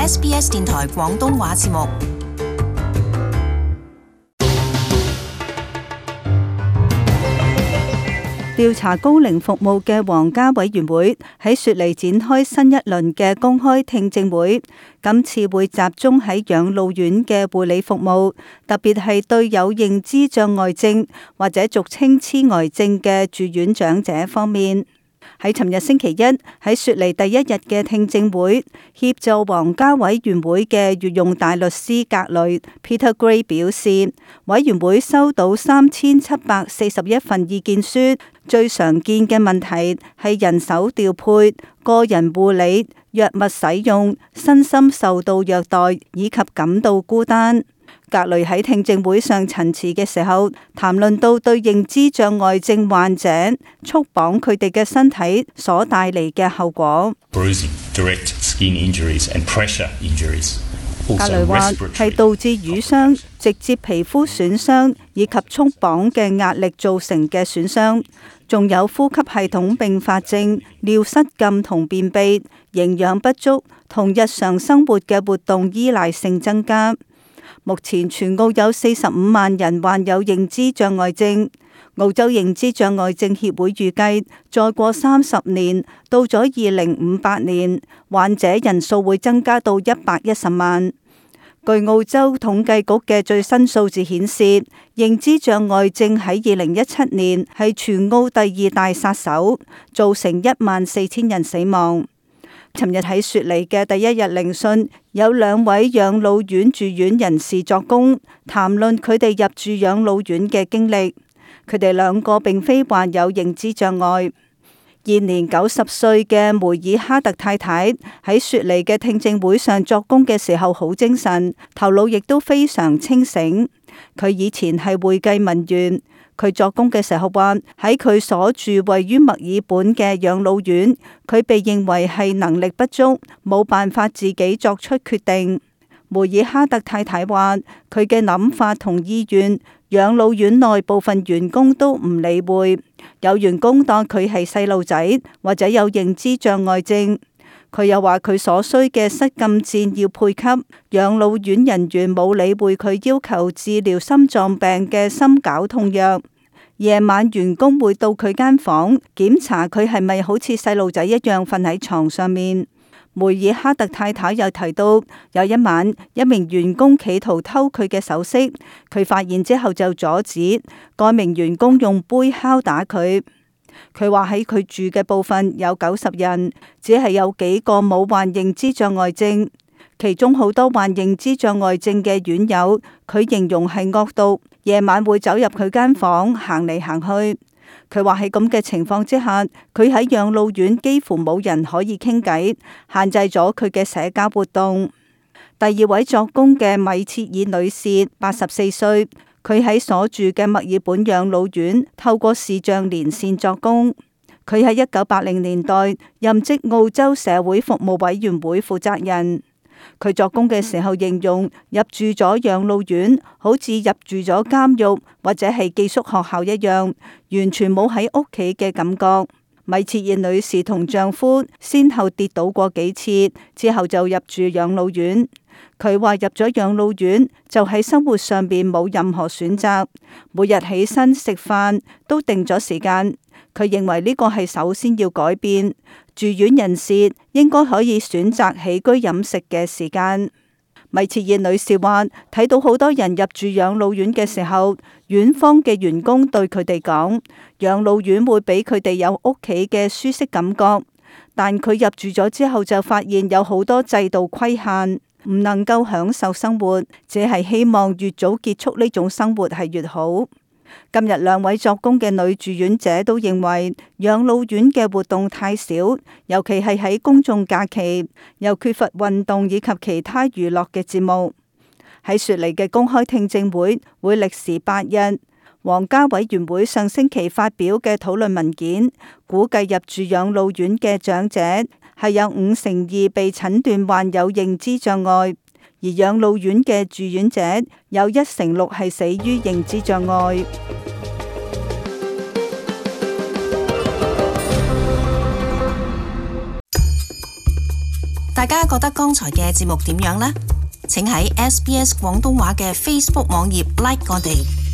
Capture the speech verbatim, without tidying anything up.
S B S 電台廣東話節目。調查高齡服務嘅皇家委員會喺雪梨展開新一輪嘅公開聽證會，今次會集中喺養老院嘅護理服務，特別係對有認知障礙症或者俗稱痴呆症嘅住院長者方面。喺尋日星期一喺雪梨第一日嘅聽證會，協助皇家委員會嘅御用大律師格雷 Peter Gray 表示，委員會收到三千七百四十一份意見書，最常見嘅問題係人手調配、個人護理、藥物使用、身心受到虐待以及感到孤單。格雷喺聽證會上陳詞嘅時候，談論到對認知障礙症患者束綁佢哋嘅身體所帶嚟嘅後果。Bruising, direct skin injuries and pressure injuries. 格雷話係導致瘀傷、直接皮膚損傷以及束綁嘅壓力造成嘅損傷，仲有呼吸系統併發症、尿失禁同便秘、營養不足同日常生活嘅活動依賴性增加。目前全澳有四十五萬人患有認知障礙症。澳洲認知障礙症協會預計，再過三十年，到咗二零五八年，患者人數會增加到一百一十萬。據澳洲統計局嘅最新數字顯示，認知障礙症喺二零一七年係全澳第二大殺手，造成一萬四千人死亡。尋日喺雪梨嘅第一日聆訊，有兩位養老院住院人士作供，談論佢哋入住養老院嘅經歷。佢哋兩個並非患有認知障礙。現年九十歲嘅梅爾哈特太太喺雪梨嘅聽證會上作供嘅時候好精神，頭腦亦都非常清醒。佢以前係會計文員。佢作供嘅時候話，喺佢所住位於墨爾本嘅養老院，佢被認為係能力不足，冇辦法自己作出決定。梅爾哈特太太話，佢嘅諗法同意願，養老院內部分員工都唔理會，有員工當佢係細路仔或者有認知障礙症。佢又話佢所需嘅失禁箭要配給，養老院人員冇理會佢要求治療心臟病嘅心絞痛藥。夜晚員工會到佢間房檢查佢係咪好似細路仔一樣瞓喺床上面。梅爾哈特太太又提到，有一晚一名員工企圖偷佢嘅首飾，佢發現之後就阻止，該名員工用杯敲打佢。佢話喺佢住嘅部分有九十人，只係有幾個冇患認知障礙症，其中好多患認知障礙症嘅院友，佢形容係惡毒，夜晚會走入佢間房行嚟行去。佢話喺咁嘅情況之下，佢喺養老院幾乎冇人可以傾偈，限制咗佢嘅社交活動。第二位作供嘅米切爾女士，八十四歲。佢喺所住嘅墨爾本養老院透過視像連線作供。佢喺一九八零年代任職澳洲社會服務委員會負責人。佢作供嘅時候形容入住咗養老院好似入住咗監獄或者係寄宿學校一樣，完全冇喺屋企嘅感覺。米切爾女士同丈夫先後跌倒過幾次，之後就入住養老院。佢話入咗養老院就喺生活上邊冇任何選擇，每日起身食飯都定咗時間。佢認為呢個係首先要改變，住院人士應該可以選擇起居飲食嘅時間。米切爾女士話睇到好多人入住養老院嘅時候，院方嘅員工對佢哋講，養老院會俾佢哋有屋企嘅舒適感覺，但佢入住咗之後就發現有好多制度規限，唔能夠享受生活，只係希望越早結束呢種生活係越好。今日兩位作供嘅女住院者都認為養老院嘅活動太少，尤其係喺公眾假期，又缺乏運動以及其他娛樂嘅節目。喺雪梨嘅公開聽證會會歷時八日。皇家委員會上星期發表嘅討論文件估計入住養老院嘅長者係有五成二被診斷患有認知障礙，而養老院嘅住院者有一成六係死於認知障礙。大家覺得剛才嘅節目點樣呢？請喺 S B S 廣東話嘅 Facebook 網頁 like 我哋。